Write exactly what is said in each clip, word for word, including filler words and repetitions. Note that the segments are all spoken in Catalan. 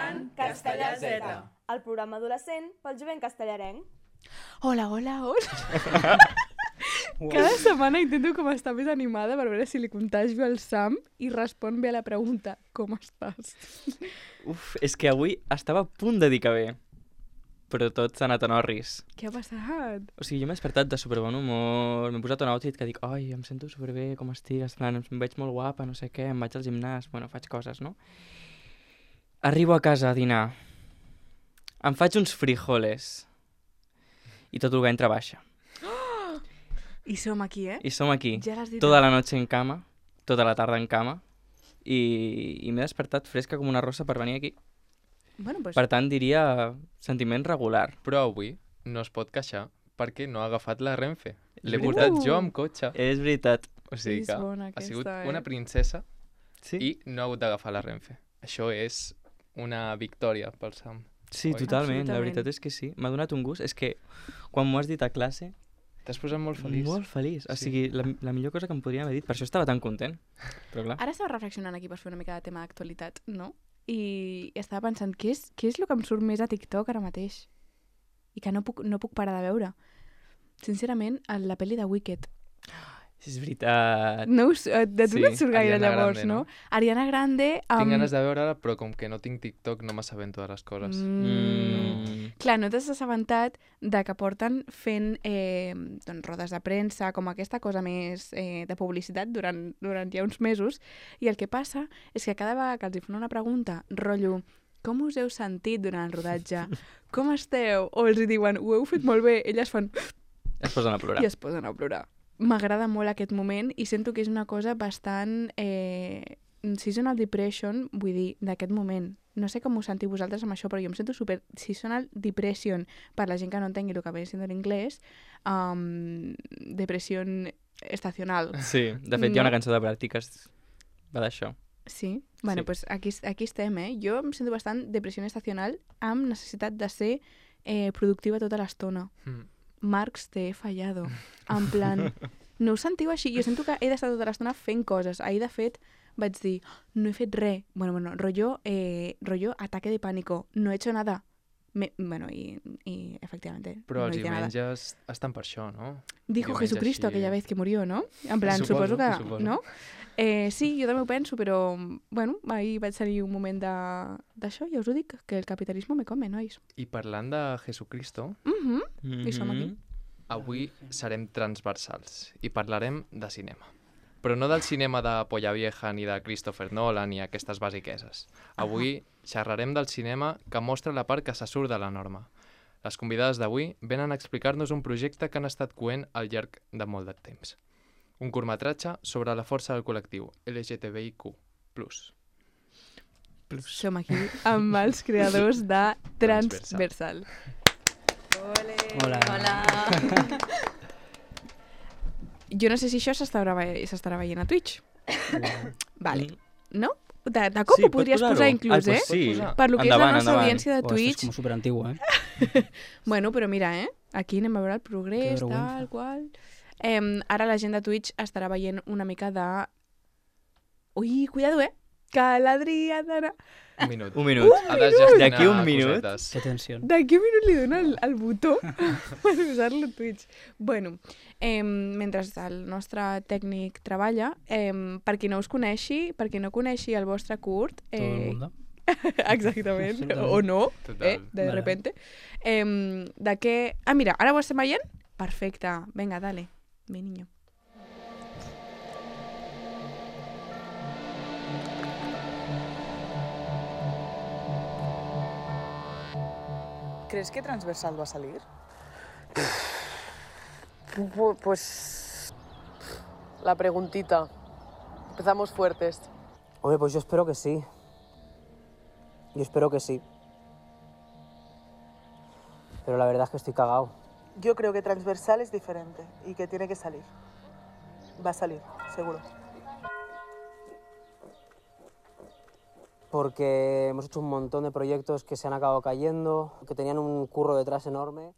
escoltant Castellà Z, el programa adolescent pel jovent castellarenc. Hola, hola, hola. Cada setmana intento com estar més animada per veure si li contagio al Sam i respon bé a la pregunta, com estàs? Uf, és que avui estava a punt de dir que bé, però tot s'ha anat a Norris. Què ha passat? O sigui, jo m'he despertat de superbon humor, m'he posat un outfit que dic, ai, em sento superbé, com estic, esclar, em veig molt guapa, no sé què, em vaig al gimnàs, bueno, faig coses, no? Arribo a casa a dinar, em faig uns frijoles i tot el ventre baixa. Oh! I som aquí, eh? I som aquí, ja tota la noche en cama, tota la tarda en cama, i, i m'he despertat fresca com una rosa per venir aquí. Bueno, pues... Per tant, diria sentiment regular. Però avui no es pot queixar perquè no ha agafat la Renfe. L'he portat Uh! jo amb cotxe. És veritat. O sigui És que bona ha aquesta, sigut eh? una princesa Sí, i no ha hagut d'agafar la Renfe. Això és una victòria pel Sam. sí Oi? totalment, la Absolutament. veritat és que sí. M'ha donat un gust. És que quan m'ho has dit a classe, T'has posat molt feliç. molt feliç. O Sí. sigui, la, la millor cosa que em podríem haver dit. Per això estava tan content. Però clar, Ara estava reflexionant aquí per fer una mica de tema d'actualitat, no? I estava pensant, què és, què és el que em surt més a TikTok ara mateix? I que no puc, no puc parar de veure. Sincerament, la pel·li de Wicked. és veritat. No us, eh, de tu Sí, no et surt gaire Ariana llavors, Grande, no? no? Ariana Grande... Tinc amb- ganes de veure-la, però com que no tinc TikTok no m'assabento de les coses. Mm. Mm. Clar, no t'has assabentat de que porten fent eh, doncs, rodes de premsa, com aquesta cosa més eh, de publicitat durant, durant ja uns mesos, i el que passa és que cada vegada que els hi fan una pregunta, rotllo, com us heu sentit durant el rodatge? Com esteu? O els hi diuen, ho heu fet molt bé, elles fan Es posen a plorar. i es posen a plorar. M'agrada molt aquest moment i sento que és una cosa bastant eh, seasonal depression, vull dir, d'aquest moment. No sé com us sentiu vosaltres amb això, però jo em sento super seasonal depression per la gent que no entengui el que ve sent en anglès. Um, depression estacional. Sí, de fet hi ha No? una cançó de pràctiques va d'això. Sí? Bueno, Sí. pues aquí, aquí estem, eh? Jo em sento bastant depressió estacional amb necessitat de ser eh, productiva tota l'estona. Mm. Marx, te he fallado. En plan, no us sentiu així? Jo sento que he d'estar tota l'estona fent coses. Ahir, de fet, vaig dir, no he fet res. Bueno, bueno, rollo, eh, rollo ataque de pánico. No he hecho nada. Me, bueno, y, y efectivamente, Però no els hice nada. diumenges estan per això, no? Dijo diumenges Jesucristo així- aquella vez que murió, ¿no? En plan, Suposo, suposo, que... suposo. No? Eh, sí, jo també ho penso, però, bueno, ahir vaig tenir un moment de- d'això, ja us ho dic, que el capitalisme me come, nois. I parlant de Jesucristo, Mhm. Mm I som aquí. avui serem transversals i parlarem de cinema. Però no del cinema de Polla Vieja ni de Christopher Nolan ni aquestes basiqueses. Avui xerrarem del cinema que mostra la part que se surt de la norma. Les convidades d'avui venen a explicar-nos un projecte que han estat coent al llarg de molt de temps. Un curtmetratge sobre la força del col·lectiu L G T B I Q plus. Som aquí amb els creadors de Transversal. Ole. Hola. Hola. Jo no sé si això s'estarà ve- s'estarà veient a Twitch. Vale. Mm. No? De, de cop Sí, ho pots podries posar-ho. posar Ah, inclús, pues eh? sí. Pots posar. Per lo que Endavant, és la nostra endavant. audiència de Oh, esto es Twitch. como súper antiguo, ¿eh? Bueno, però mira, eh? Aquí anem a veure el Que progrés, vergüenza. tal, qual... Eh, ara la gent de Twitch estarà veient una mica de... Ui, cuidado, eh? Que l'Adriana... Un minut. Un minut. Ha de gestionar D'aquí un minut. cosetes. Qué tensión. D'aquí un minut li dona el, el botó per usar-lo a Twitch. Bueno, eh, mentre el nostre tècnic treballa, eh, per qui no us coneixi, per qui no coneixi el vostre curt... Todo el Eh, mundo. exactament, Absolutament. o no, Total. eh, de Vale. repente. Eh, de què... Ah, mira, ara ho estem veient? Perfecte. Vinga, dale. Mi niño. ¿Crees que Transversal va a salir? Pu- Pues la preguntita. Empezamos fuertes. Hombre, pues yo espero que sí. Yo espero que sí. Pero la verdad es que estoy cagado. Yo creo que Transversal es diferente y que tiene que salir. Va a salir, seguro. Porque hemos hecho un montón de proyectos que se han acabado cayendo, que tenían un curro detrás enorme.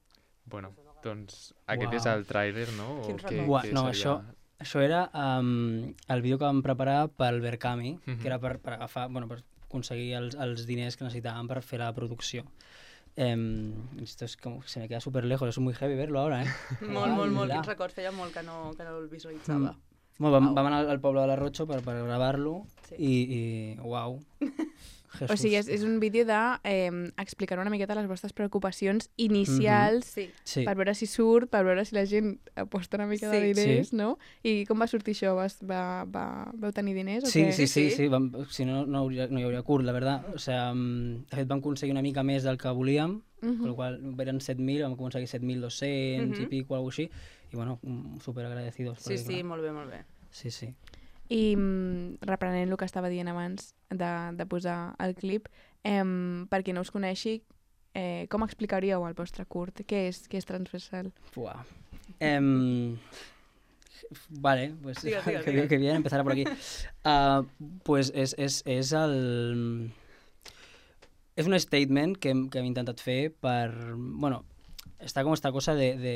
Bueno, doncs aquest Uau. és el tràiler, no? O Quin què- record. Buah, què no, seria? això, això era um, el vídeo que vam preparar pel Verkami, Mhm. que era per, per agafar, bueno, per aconseguir els, els diners que necesitaban per fer la producció. Eh, esto es como, se me queda súper lejos, es muy heavy verlo ahora, eh? Molt, molt, molt. Hola. Quins records, feia molt que no, que no el visualitzava. Mm. Bueno, vam, vam anar al poble de la Rocho per, per gravar-lo Sí. i, i uau. O sigui, és, és un vídeo de eh, explicar una miqueta les vostres preocupacions inicials Sí. Sí. per veure si surt, per veure si la gent aposta una mica de Sí. diners, Sí. no? I com va sortir això? Vas, va, va, vau tenir diners o Sí, què? sí, sí, Sí, sí. sí. Vam, si no, no, hauria, no hi hauria curt, la verdad. O sea, mm, de fet vam aconseguir una mica més del que volíem, Mhm. con lo qual eren set mil, vam aconseguir set mil dos-cents Mhm. i pico, algo així, i bueno, mm, súper agradecidos. Sí, perquè, sí, clar, molt bé, molt bé. sí, sí. I mm, reprenent el que estava dient abans de, de posar el clip, eh, per qui no us coneixi, eh, com explicaríeu el vostre curt? Què és, què és transversal? Buah. Em, vale, pues Digues, digues, que, digues. que bien empezar por aquí. Ah, pues és, és, és el... És un statement que, hem- que hem intentat fer per... Bueno, està com esta cosa de, de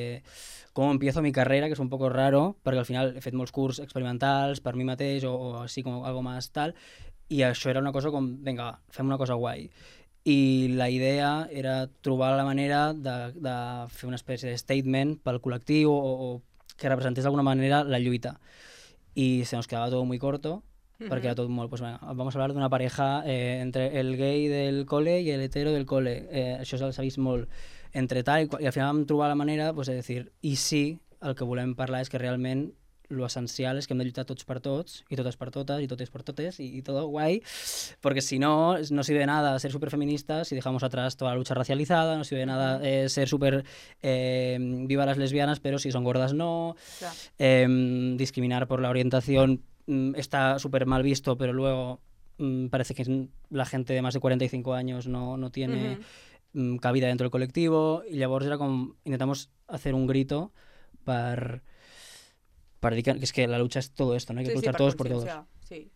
com empiezo mi carrera, que és un poco raro, perquè al final he fet molts curs experimentals per mi mateix o, o així com algo más tal, i això era una cosa com, vinga, va, fem una cosa guai. I la idea era trobar la manera de, de fer una espècie de statement pel col·lectiu o, o que representés d'alguna manera la lluita. Y se nos quedaba todo muy corto, porque era todo muy, pues venga, vamos a hablar de una pareja eh, entre el gay del cole y el hetero del cole. Eh, això s'ha vist molt entre tal, i, qual- i al final vam trobar la manera pues, de dir, i sí, el que volem parlar és que realment lo essencial és que hem de lluitar tots per tots, i totes per totes, i totes per totes, y, y todo guay, porque si no, no sirve de nada ser superfeministas si dejamos atrás toda la lucha racializada, no sirve de nada eh, ser súper eh, viva las lesbianas, pero si son gordas no, Clar. eh, discriminar por la orientación mm, está súper mal visto, pero luego mm, parece que la gente de más de cuarenta y cinco años no, no tiene Mhm. mm, cabida dentro del colectivo, y llavors era com intentamos hacer un grito per, per dir que, que es que la lucha es todo esto, ¿no? Hay que Sí, sí, luchar per todos por todos. conscienciar, Sí.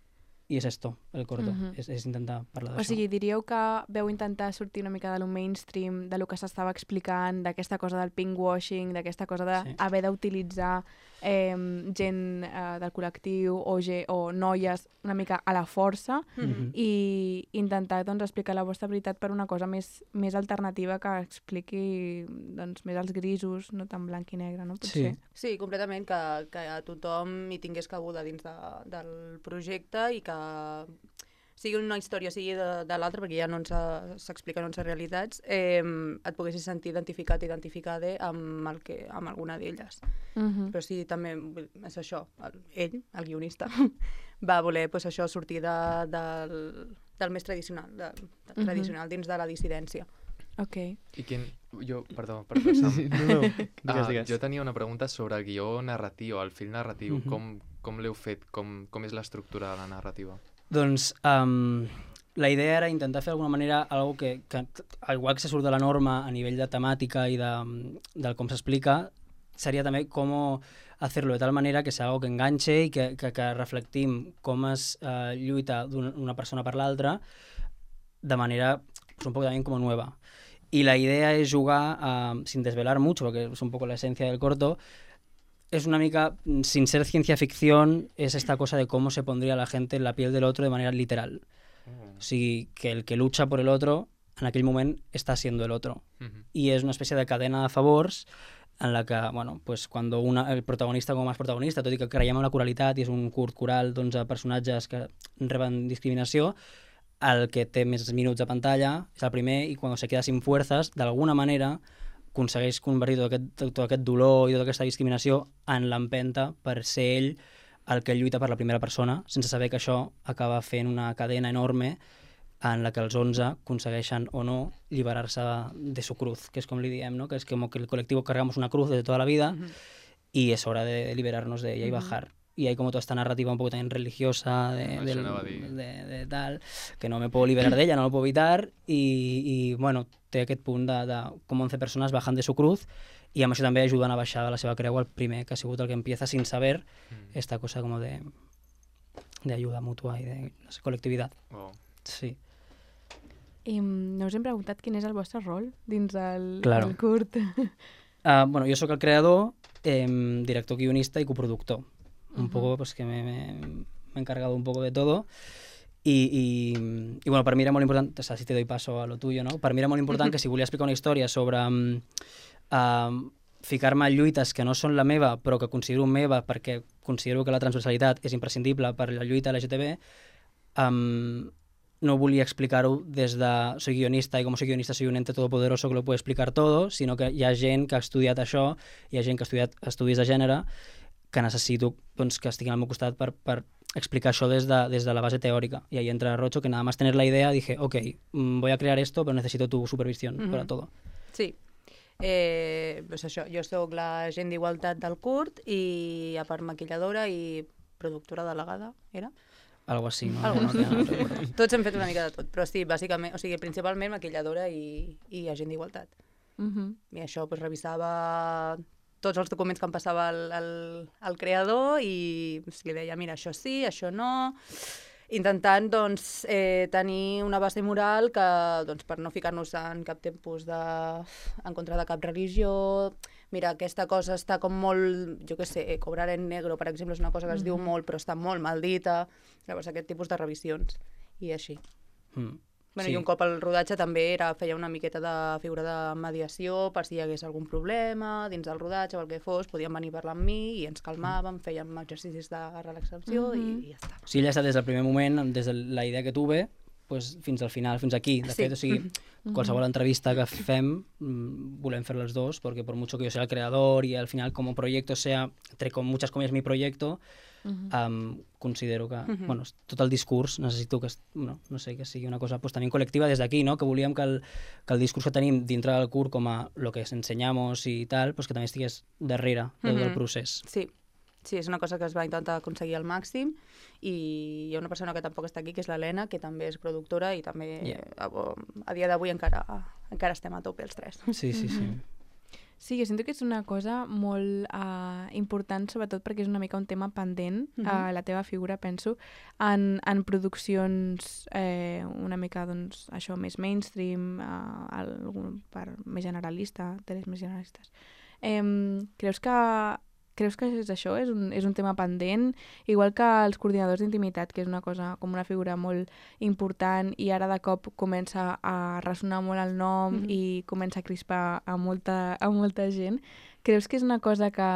Y es esto, el corto, Mhm. es, es intentar parlar O d'això. sigui, diríeu que veu intentar sortir una mica de lo mainstream, de lo que s'estava explicant, d'aquesta cosa del pinkwashing, d'aquesta cosa d'haver Sí. d'utilitzar eh, gent eh, del col·lectiu o, ge o noies una mica a la força Mhm. i intentar doncs, explicar la vostra veritat per una cosa més, més alternativa que expliqui doncs, més els grisos, no tan blanc i negre, no? Potser. Sí. Sí, completament, que, que a tothom hi tingués cabuda dins de, del projecte i que sigui una història, sigui de, de l'altra, perquè ja no ens ha- s'expliquen onze realitats, eh, et poguessis sentir identificat, identificada amb, el que, amb alguna d'elles. Mhm. Però sí, també vull- és això, el, ell, el guionista, va voler pues, això sortir de, del, del més tradicional, de, de Mhm. tradicional dins de la dissidència. Ok. I quin... Jo, perdó, perdó, Sam. No, no, Ah, digues, digues. jo tenia una pregunta sobre el guió narratiu, el fil narratiu. Mhm. Com, com l'heu fet? Com, com és l'estructura de la narrativa? Doncs um, la idea era intentar fer d'alguna manera algo que, que, al igual que se surt de la norma a nivell de temàtica i de, del com s'explica, seria també com hacerlo de tal manera que sea algo que enganche i que, que, que reflectim com es uh, lluita d'una una persona per l'altra de manera pues, un poco también como nueva. Y la idea es jugar, uh, sin desvelar mucho, porque es un poco la esencia del corto, es una mica, mm, sin ser ciencia ficción, es esta cosa de cómo se pondría la gente en la piel del otro de manera literal. O sigui, que el que lucha por el otro, en aquell moment, està siendo el otro. Mhm. Y es una especie de cadena de favors en la que, bueno, pues cuando una, el protagonista com a més protagonista, tot i que creiem en la coralitat i és un curt coral d'onze personatges que reben discriminació, el que té més minuts de pantalla és el primer i quan se queda sin fuerzas, d'alguna manera aconsegueix convertir tot aquest, tot aquest dolor i tota aquesta discriminació en l'empenta per ser ell el que lluita per la primera persona, sense saber que això acaba fent una cadena enorme en la que els onze aconsegueixen o no liberar-se de su cruz, que és com li diem, ¿no? Que es como que el colectivo cargamos una cruz de toda la vida y es hora de liberarnos de ella y bajar. Y hay como toda esta narrativa un poco también religiosa de, Això del- anava a dir. de, de tal, que no me puedo liberar de ella, no lo puedo evitar, i, i bueno, té aquest punt de, de com onze persones bajan de su cruz i amb això també ajuden a baixar de la seva creu el primer, que ha sigut el que empieza sin saber Mm. esta cosa como de, de ayuda mutua i de no sé, colectividad. Oh. Sí. I mm, no us hem preguntat quin és el vostre rol dins el, Claro. el curt. Ah, bueno, yo soy el creador, eh, director, guionista y coproductor. Un Ujú. poco, pues que me, me- me he encargado un poco de todo. I, i, i bueno, per mi era molt important, o sea, si te doy paso a lo tuyo, no? Per mi era molt important que si volia explicar una història sobre um, uh, ficar-me en lluites que no són la meva, però que considero meva perquè considero que la transversalitat és imprescindible per la lluita L G T B, um, no volia explicar-ho des de soy guionista i com soy guionista soy un ente todopoderoso que lo puede explicar todo, sinó que hi ha gent que ha estudiat això, hi ha gent que ha estudiat estudis de gènere, que necessito doncs, que estiguin al meu costat per, per explicar això des de, des de la base teórica. Y ahí entra Rocho, que nada más tener la idea dije, ok, voy a crear esto, pero necesito tu supervisión mm-hmm. para todo. Sí. Eh, pues això, jo soc l'agent d'igualtat del curt i a part maquilladora i productora delegada, era? Algo així, no? Algo no, no, no, no, no. Tots hem fet una mica de tot, però sí, bàsicament, o sigui, principalment maquilladora i, i agent d'igualtat. Uh-huh. I això, pues, revisava tots els documents que em passava el, el, el creador i pues, li deia, mira, això sí, això no, intentant doncs, eh, tenir una base moral que, doncs, per no ficar-nos en cap tipus de... en contra de cap religió. Mira, aquesta cosa està com molt, jo què sé, cobrar en negro, per exemple, és una cosa que es mm-hmm. diu molt, però està molt mal dita. Llavors, aquest tipus de revisions. I així. Mm. Bueno, sí. I un cop al rodatge també era, feia una miqueta de figura de mediació per si hi hagués algun problema dins del rodatge o el que fos, podien venir a parlar amb mi i ens calmàvem, fèiem exercicis de relaxació mm-hmm. i, i ja està. Sí, ella ha estat des del primer moment, des de la idea que tuve, pues, fins al final, fins aquí. De sí. fet, o sigui, qualsevol entrevista que fem volem fer les dos, porque por mucho que yo sea el creador y al final como proyecto sea, entre con muchas comillas, mi proyecto, uh-huh. um, considero que, uh-huh. bueno, tot el discurs necessito que, no, no sé, que sigui una cosa pues, també col·lectiva des d'aquí, no? Que volíem que el, que el discurs que tenim dintre del curt com a lo que ensenyamos i tal, pues, que també estigués darrere del, uh-huh. del procés. Sí. Sí, és una cosa que es va intentar aconseguir al màxim i hi ha una persona que tampoc està aquí, que és l'Helena, que també és productora i també yeah. a, a dia d'avui encara, encara estem a tope els tres. Sí, sí, sí. Sí, jo sento que és una cosa molt uh, important, sobretot perquè és una mica un tema pendent, uh-huh. uh, la teva figura, penso, en, en produccions eh, una mica, doncs, això, més mainstream, uh, algun, per més generalista, teles més generalistes. Eh, creus que Creus que és això? És un, és un tema pendent? Igual que els coordinadors d'intimitat, que és una cosa com una figura molt important i ara de cop comença a ressonar molt el nom mm-hmm. i comença a crispar a molta, a molta gent. Creus que és una cosa que,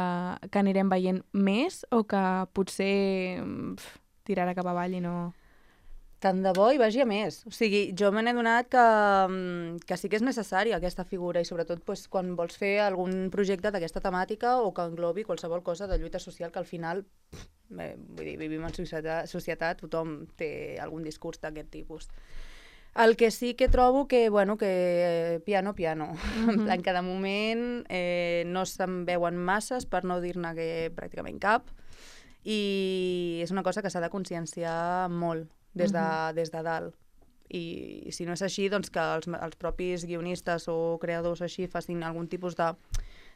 que anirem veient més o que potser pf, tirarà cap avall i no... Tant de bo hi vagi a més. O sigui, jo me n'he donat que, que sí que és necessària aquesta figura i sobretot pues, quan vols fer algun projecte d'aquesta temàtica o que englobi qualsevol cosa de lluita social que al final, bé, vull dir, vivim en societat, societat, tothom té algun discurs d'aquest tipus. El que sí que trobo que, bueno, que piano, piano. Mm-hmm. En plan, cada moment eh, no se'n veuen masses, per no dir-ne que pràcticament cap, i és una cosa que s'ha de conscienciar molt. Des de, uh-huh. des de dalt. I si no és així, doncs que els, els propis guionistes o creadors així facin algun tipus de,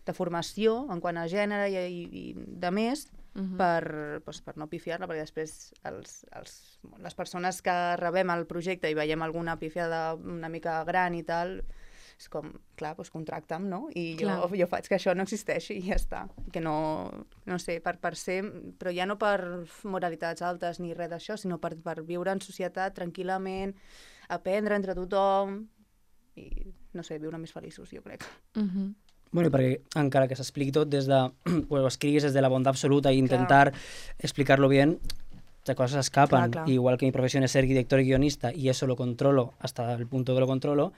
de formació en quant a gènere i, i, i de més uh-huh. per, doncs, per no pifiar-la, perquè després els, els, les persones que rebem el projecte i veiem alguna pifiada una mica gran i tal, és com, clar, doncs contracta'm, no? I jo, jo faig que això no existeixi i ja està. Que no, no sé, per, per ser... Però ja no per moralitats altes ni res d'això, sinó per, per viure en societat tranquil·lament, aprendre entre tothom i, no sé, viure més feliços, jo crec. Uh-huh. Bueno, perquè encara que s'expliqui tot des de... o escriguis des de la bondat absoluta i intentar claro. explicarlo bien, las cosas escapan. Claro, claro. Igual que mi profesión es ser director y guionista y eso lo controlo hasta el punto que lo controlo,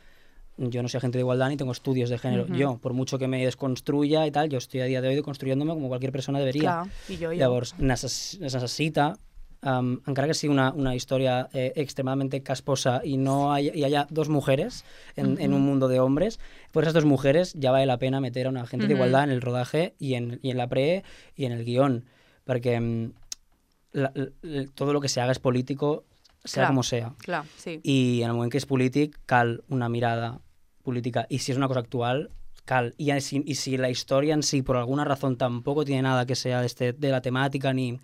yo no soy agente de igualdad ni tengo estudios de género. Uh-huh. Yo, por mucho que me desconstruya y tal, yo estoy a día de hoy deconstruyéndome como cualquier persona debería. Clar, i jo, jo. Llavors, necess necessita, um, encara que sigui una, una història eh, extremadamente casposa y no hay, y haya dos mujeres en, uh-huh. en un mundo de hombres, por esas dos mujeres ya vale la pena meter a una agente uh-huh. de igualdad en el rodaje y en, y en la pre y en el guión, perquè um, la, la, todo lo que se haga es político, sea clar, como sea. Clar, sí. I en el moment que és polític cal una mirada política, y si es una cosa actual, cal. Y si, y si la historia en sí, por alguna razón, tampoco tiene nada que sea de, este, de la temática, ni,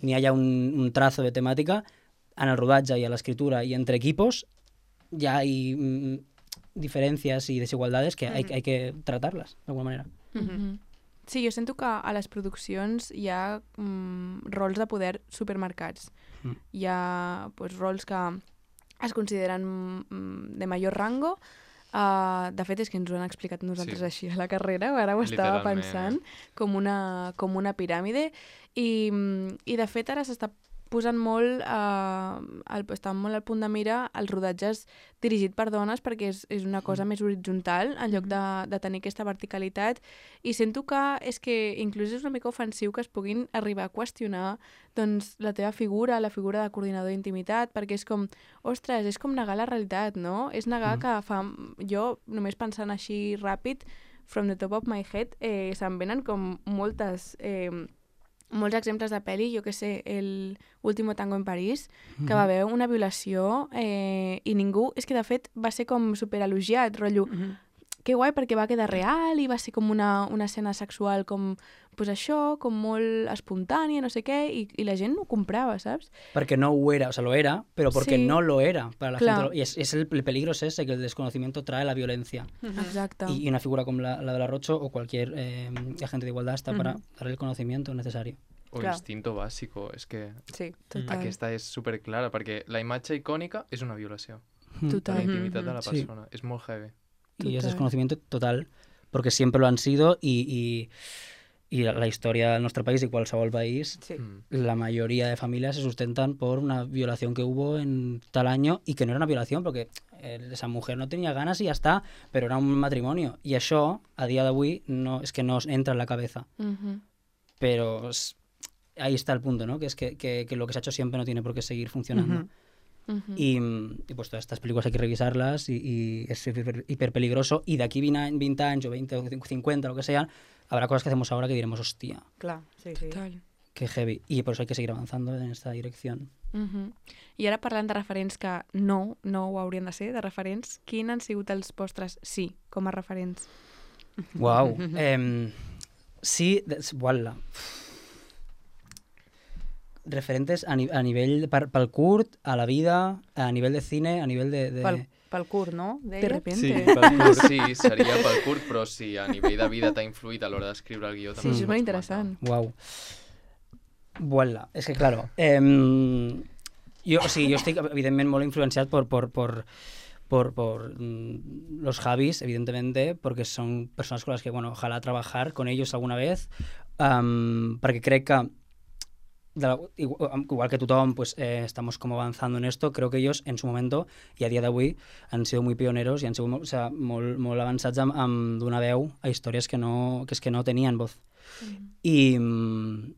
ni haya un, un trazo de temática, en el rodatge y a la escritura y entre equipos ya hay mm, diferencias y desigualdades que, mm-hmm. hay, hay que tratarlas, de alguna manera. Mm-hmm. Sí, jo sento que a les produccions hi ha mm, rols de poder supermarcats. Mm. Hi ha pues, rols que es consideren mm, de major rango. Uh, de fet, és que ens ho han explicat nosaltres Sí. així a la carrera, ara ho estava Literalment, pensant, com una, com una piràmide. I, mm, I de fet ara s'està posant molt, eh, el, estan molt al punt de mira els rodatges dirigit per dones perquè és, és una cosa més horitzontal en lloc de, de tenir aquesta verticalitat, i sento que és que inclús és una mica ofensiu que es puguin arribar a qüestionar doncs, la teva figura, la figura de coordinador d'intimitat, perquè és com, ostres, és com negar la realitat, no? És negar mm. que fa... Jo, només pensant així ràpid, from the top of my head, eh, se'm venen com moltes... Eh, molts exemples de pel·li, jo que sé, el Último Tango en París, que va haver una violació eh, i ningú... És que, de fet, va ser com superelogiat, rotllo... Mm-hmm. Que guai, perquè va quedar real i va ser com una, una escena sexual com, pues això, com molt espontània, no sé què, i, i la gent no ho comprava, saps? Porque no lo era, o sea, lo era, pero porque Sí. no lo era para la Claro. gente. Y es, es el, el peligro es ese, que el desconocimiento trae la violencia. Exacte. Y, y una figura como la, la de la Rocho o cualquier eh, agente de igualdad está para dar el conocimiento necesario. O Clar. instinto bàsico, és que Sí. Total. aquesta és superclara, perquè la imatge icònica és una violació de Total. la intimitat de la Sí. persona. És molt heavy. Y es Total. desconocimiento total, porque siempre lo han sido y, y, y la historia de nuestro país y cualquier país, Sí. Mm. la mayoría de familias se sustentan por una violación que hubo en tal año y que no era una violación porque eh, esa mujer no tenía ganas y ya está, pero era un matrimonio. Y això, a día d'avui, no, es que no os entra en la cabeza. Mhm. Pero es- ahí está el punto, ¿no? Que es que, que, que lo que se ha hecho siempre no tiene por qué seguir funcionando. Ujú. Mhm. Y, mm, y pues todas estas películas hay que revisarlas y, y es hiper, hiper peligroso. Y de aquí veinte años o veinte o cincuenta, lo que sean, habrá cosas que hacemos ahora que diremos, hostia, Clar, sí, sí. Total. qué heavy. Y por eso hay que seguir avanzando en esta dirección. Mhm. I ara parlant de referents que no, no ho haurien de ser, de referents, quins han sigut els vostres sí com a referents? Wow. Em, sí, de- uala. Referentes a, ni- a nivell per, pel curt, a la vida, a nivell de cine, a nivell de... de... Pel, pel curt, no? De Deia? repente. Sí, pel curt, sí, seria pel curt, però si a nivell de vida t'ha influït a l'hora d'escriure el guió, Sí, també això és ho molt pots interessant. Wow. Voilà. Es que, claro, em, yo, sí, yo estoy evidentemente muy influenciado por, por, por, por, por mm, los Javis, evidentemente, porque son personas con las que, bueno, ojalá trabajar con ellos alguna vez, am, perquè crec que de la- igual, igual que tothom, pues, eh, estamos como avanzando en esto, creo que ellos en su momento y a día d'avui han sido muy pioneros y han sido molt, o sea, molt, molt avançats amb, amb donar veu a històries que, no, que es que no tenían voz. Y, mm,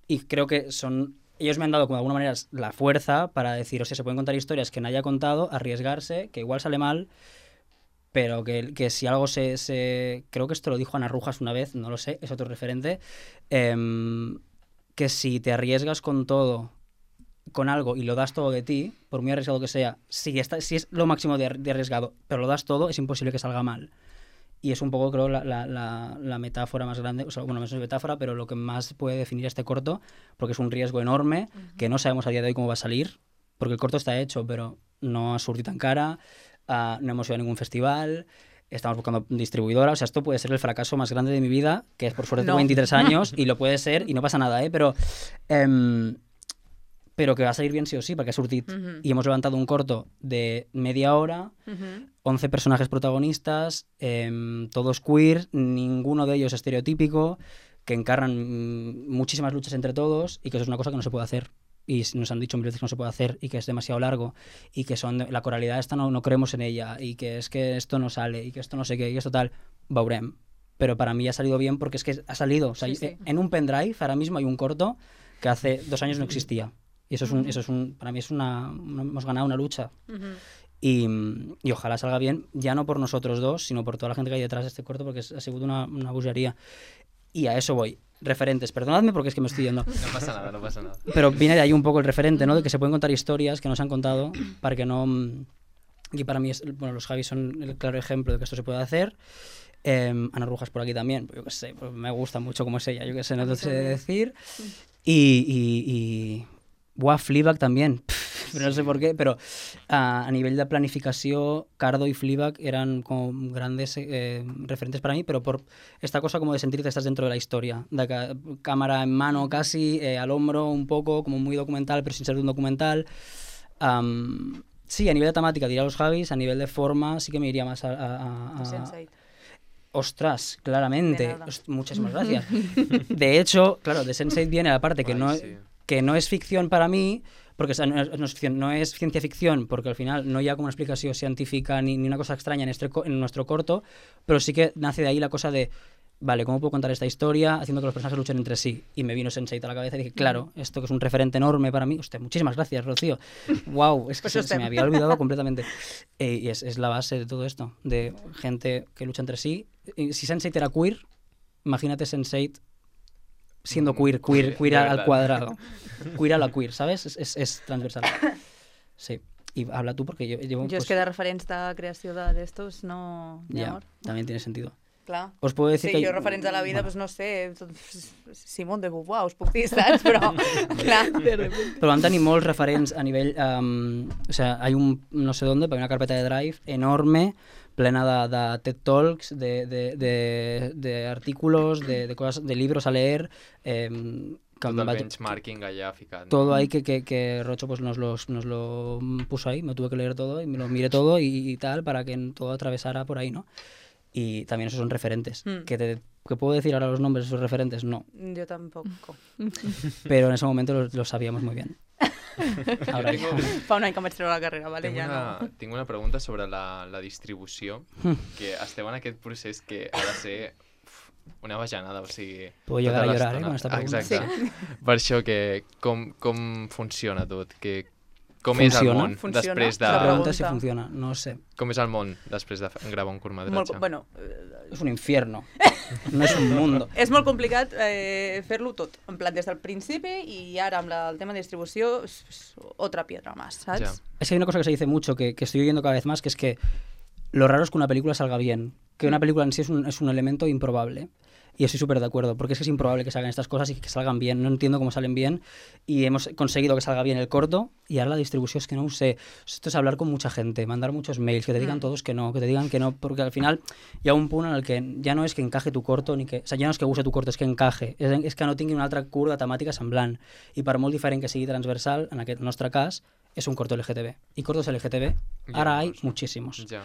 y creo que son... Ellos me han dado como de alguna manera la fuerza para decir, o sea, se pueden contar historias que nadie ha contado, arriesgarse, que igual sale mal, pero que, que si algo se, se... Creo que esto lo dijo Ana Rujas una vez, no lo sé, es otro referente, em, que si te arriesgas con todo, con algo y lo das todo de ti, por muy arriesgado que sea, si, está, si es lo máximo de, de arriesgado, pero lo das todo, es imposible que salga mal. Y es un poco, creo, la, la, la, la metáfora más grande, o sea, bueno, no es metáfora, pero lo que más puede definir este corto, porque es un riesgo enorme, que no sabemos a día de hoy cómo va a salir, porque el corto está hecho, pero no ha surtido tan cara, uh, no hemos ido a ningún festival, estamos buscando distribuidora, o sea, esto puede ser el fracaso más grande de mi vida, que es por suerte tengo No. veintitrés años, y lo puede ser, y no pasa nada, ¿eh? Pero... em, pero que va a salir bien sí o sí, porque ha surtit. Ujú. Y hemos levantado un corto de media hora, Ujú. once personajes protagonistas, em, todos queer, ninguno de ellos estereotípico, que encarnan mm, muchísimas luchas entre todos y que eso es una cosa que no se puede hacer. Y s- nos han dicho mil veces que no se puede hacer y que es demasiado largo y que son la coralidad esta no, no creemos en ella y que es que esto no sale y que esto no sé qué y esto tal, veurem. Pero para mí ha salido bien porque es que ha salido. O sea, Sí, sí. eh, en un pendrive ahora mismo hay un corto que hace dos años no existía. Y eso es un, eso es un, para mí es una, una- hemos ganado una lucha. Ujú. Y, y ojalá salga bien, ya no por nosotros dos, sino por toda la gente que hay detrás de este corto, porque es- ha sido una, una bogería. Y a eso voy. Referentes, perdonadme porque es que me estoy yendo. No passa nada, no passa nada. Pero viene de ahí un poco el referente, ¿no? De que se pueden contar historias que no se han contado para que no... mm, Y para mí, es, bueno, los Javis son el claro ejemplo de que esto se puede hacer. Eh, Ana Rujas por aquí también, pues yo qué sé, pues me gusta mucho como es ella, yo qué sé, no te sé decir. Y... y, y... Buah, Fleabag también. Pff, pero no sé por qué, pero a, a nivel de planificación, Cardo y Fleabag eran como grandes eh, referentes para mí, pero por esta cosa como de sentirte que estás dentro de la historia, de ca- cámara en mano casi, eh, al hombro un poco, como muy documental, pero sin ser un documental. Um, sí, a nivel de temática diría los Javis, a nivel de forma sí que me iría más a... a, a sense eight. Ostras, claramente. De nada. Ost- muchísimas gracias. De hecho, claro, de sense eight viene la parte que, Ay, no, sí. que no es ficción para mí, porque o sea, no, es, no es ficción, no es ciencia ficción, porque al final no hi ha como una explicación científica ni, ni una cosa extraña en, este, co- en nuestro corto, pero sí que nace de ahí la cosa de, vale, ¿cómo puedo contar esta historia haciendo que los personajes luchen entre sí? Y me vino sense eight a la cabeza y dije, claro, esto que es un referente enorme para mí. Hostia, muchísimas gracias, Rocío. Wow, es que Pues se, usted. se me había olvidado completamente. Eh, y es, es la base de todo esto, de gente que lucha entre sí. Y si sense eight era queer, imagínate sense eight siendo Mm, queer, queer, de queer al verdad. cuadrado. Queer a la queer, ¿sabes? Es, es, es transversal. Sí. Y habla tú porque yo llevo... Jo és pues, que de referents de creació de- d'estos no... Ni ya, amor. también tiene sentido. Clar. Os puedo decir Sí, que... jo referents a la vida, bueno, pues no sé, tot- Simón de Beauvoir, us puc dir, saps? Però, clar, de repente. Pero van tenir molts referents a nivell... Um, o sea, hay un, no sé dónde, pero hay una carpeta de Drive enorme, plena de, de TED Talks, de, de, de, de artículos, de, de cosas, de libros a leer, eh, que Tot em el vaig- benchmarking allà ficat. todo ahí que, que, que Rocho pues nos, los, nos lo puso ahí, me tuve que leer todo y me lo miré todo y, y tal para que todo atravesara por ahí, ¿no? Y también esos son referentes. Mm. ¿Que, te, ¿Que puedo decir ahora los nombres de esos referentes? No. Jo tampoc. Pero en ese momento lo, lo sabíamos muy bien. Ahora Jo ya. tinc, Fa un any que em vaig treure la carrera, vale? tinc, Ja una, no. tinc una pregunta sobre la, la distribució, que esteu en aquest procés que ha de ser uf, una bajanada, o sigui... Puedo llegar tota a llorar, eh, l'estona. con esta pregunta. Exacte. Per això, que com, com funciona tot? Que, com és el Funciona? món Funciona? després de... La La pregunta es si pregunta. funciona, no sé. Com és el món després de f- gravar un Molt, curtmetratge? bueno, eh, Es un infierno. No es un mundo. és molt complicat eh, fer-lo tot, en plan des del principi i ara amb la, el tema de distribució, és, és otra piedra más, saps? Ja. Es que hay una cosa que se dice mucho, que, que estoy oyendo cada vez más, que es que lo raro es que una película salga bien. Que una película en sí es un, es un elemento improbable. Y estoy súper de acuerdo, porque es que es improbable que salgan estas cosas y que salgan bien. No entiendo cómo salen bien. Y hemos conseguido que salga bien el corto. Y ahora la distribución es que no sé. Esto es hablar con mucha gente, mandar muchos mails, que te digan Mm. todos que no, que te digan que no. Porque al final ya un punto en el que ya no es que encaje tu corto, ni que... O sea, ya no es que use tu corto, és que encaje. És, és que no tingui una altra cura de temàtica semblant. I per molt diferent que sigui transversal, en aquest nostre cas, és un corto L G T B. Y cortos L G T B, Ja, ahora hay doncs. muchísimos. Ja.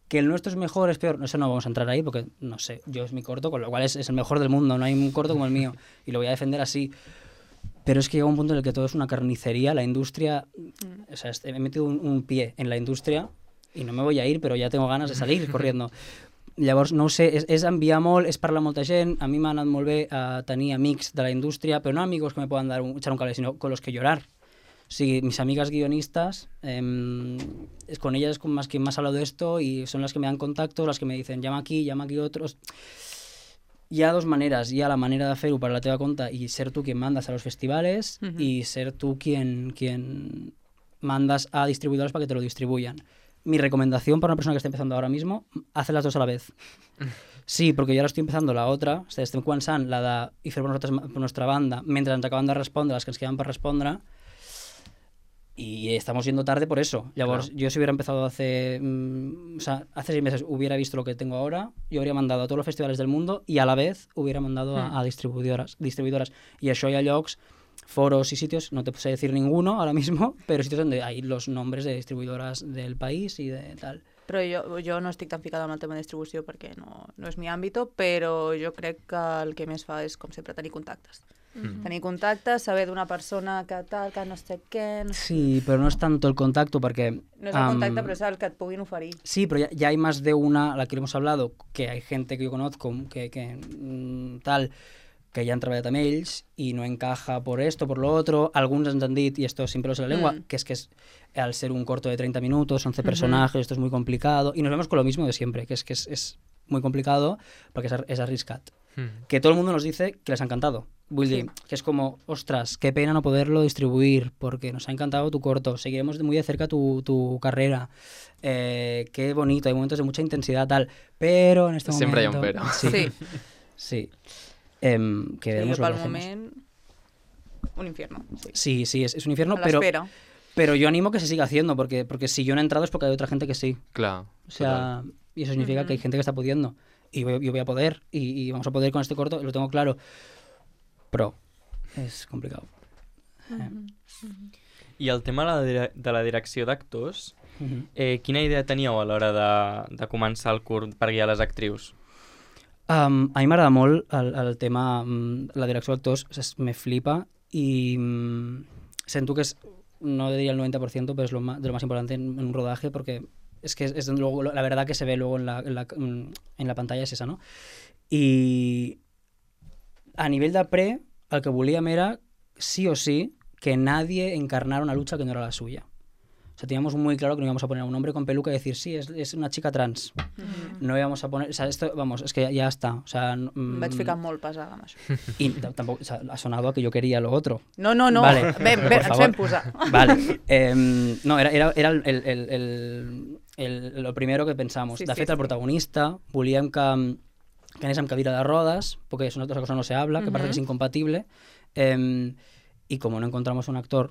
Que el nuestro es mejor, es peor, eso no vamos a entrar ahí porque, no sé, yo es mi corto, con lo cual es, es el mejor del mundo, no hay un corto como el mío y lo voy a defender así. Pero es que llega un punto en el que todo es una carnicería, la industria, Mm. o sea, este- he metido un, un pie en la industria y no me voy a ir, però ja tengo ganes de salir corriendo. Llavors, no ho sé, és, és enviar molt, és parlar amb molta gent, a mi m'ha anat molt bé a tenir amics de la indústria, però no amigos que me puedan dar un, echar un cable, sino con los que llorar. O sigui, mis amigas guionistas, eh, es con ellas con más quien más he hablado de esto y son las que me dan contactos, las que me dicen llama aquí, llama aquí otros. Hi ha dos maneres. Hi ha la manera de fer-ho per la teva compte i ser tu quien mandas a los festivales Ujú. y ser tú quien, quien mandas a distribuidores para que te lo distribuyan. Mi recomendación para una persona que está empezando ahora mismo, hace las dos a la vez. Sí, porque yo ahora estoy empezando la otra, estem començant la de i fer per, nosaltres, per nostra banda, mentre ens acabem de respondre les que ens queden per respondre, y estamos yendo tarde por eso. Llavors, Claro. yo si hubiera empezado hace, mm, o sea, hace seis meses hubiera visto lo que tengo ahora, yo habría mandado a todos los festivales del mundo y a la vez hubiera mandado a, a distribuidoras, distribuidoras. Y això hi ha llocs, foros y sitios, no te sé decir ninguno ahora mismo, pero sitios donde hay los nombres de distribuidoras del país y de tal. Però jo, jo no estic tan ficada amb el tema de distribució perquè no, no és mi àmbito, però jo crec que el que més fa és, com sempre, tenir contactes. Mm. Tenir contactes, saber d'una persona que tal, que no sé què... No, sé. Sí, pero no es tanto el contacto porque... no és el contacte, am, però és el que et puguin oferir. Sí, pero ya, ya hay más de una, a la que hemos hablado, que hay gente que yo conozco, que, que mm, tal, que ya han trabajado amb ells y no encaja por esto, por lo otro. Algunos ens han dit, y esto sin pelos en la lengua, Mm. que es que es, al ser un corto de treinta minutos, once Ujú. personajes, esto es muy complicado. Y nos vemos con lo mismo de siempre, que es que es, es muy complicado porque es, ar- es arriscat. Mm. Que todo el mundo nos dice que les ha encantado. Vull dir, que es como, ostras, qué pena no poderlo distribuir, porque nos ha encantado tu corto, seguiremos de muy de cerca tu, tu carrera, eh, qué bonito, hay momentos de mucha intensidad, tal, pero en este Siempre hay un momento... pero. Sí, Sí, sí. Em, que sí veremos jo lo que pel hacemos. moment... Un infierno, sí. Sí, sí, es, es un infierno, A pero, l'espera. Pero yo animo que se siga haciendo, porque, porque si yo no he entrado es porque hay otra gente que sí. Clar. O sea, y eso significa Ujú. que hay gente que está pudiendo. Y yo, yo voy a poder, y, y vamos a poder con este corto, lo tengo claro. Pero es complicado. Eh. I el tema de la, dire- de la direcció d'actors, Mhm. eh, quina idea teníeu a l'hora de, de començar el curt per guiar les actrius? Um, a mi m'agrada molt el, el tema, um, la direcció d'actors, es- me flipa y um, sento que es, no diría el noventa por ciento, pero es lo más, de lo más importante en, en un rodaje porque es que es, es luego, la verdad que se ve luego en la, en, la, en la pantalla es esa, ¿no? Y a nivel de pre, el que volíem era, sí o sí, que nadie encarnara una lucha que no era la suya. O sea, teníamos muy claro que no íbamos a poner a un hombre con peluca y decir, sí, es, es una chica trans. No íbamos a poner... O sea, esto, vamos, es que ya, ya está. O sea, no- Em vaig mm, ficar molt pesada amb això. y t- tampoco, o sea, ha sonado a que yo quería lo otro. No, no, no. Vale, Bé, por bé, ens favor. fem posar. Vale. Em, no, era, era, era el, el, el, el, el, lo primero que pensamos. Sí, de sí, fet, el sí. protagonista volíem que, que anés amb cadira de rodes, porque es una cosa no se habla, que parece que es Ujú. incompatible. Em, y como no encontramos un actor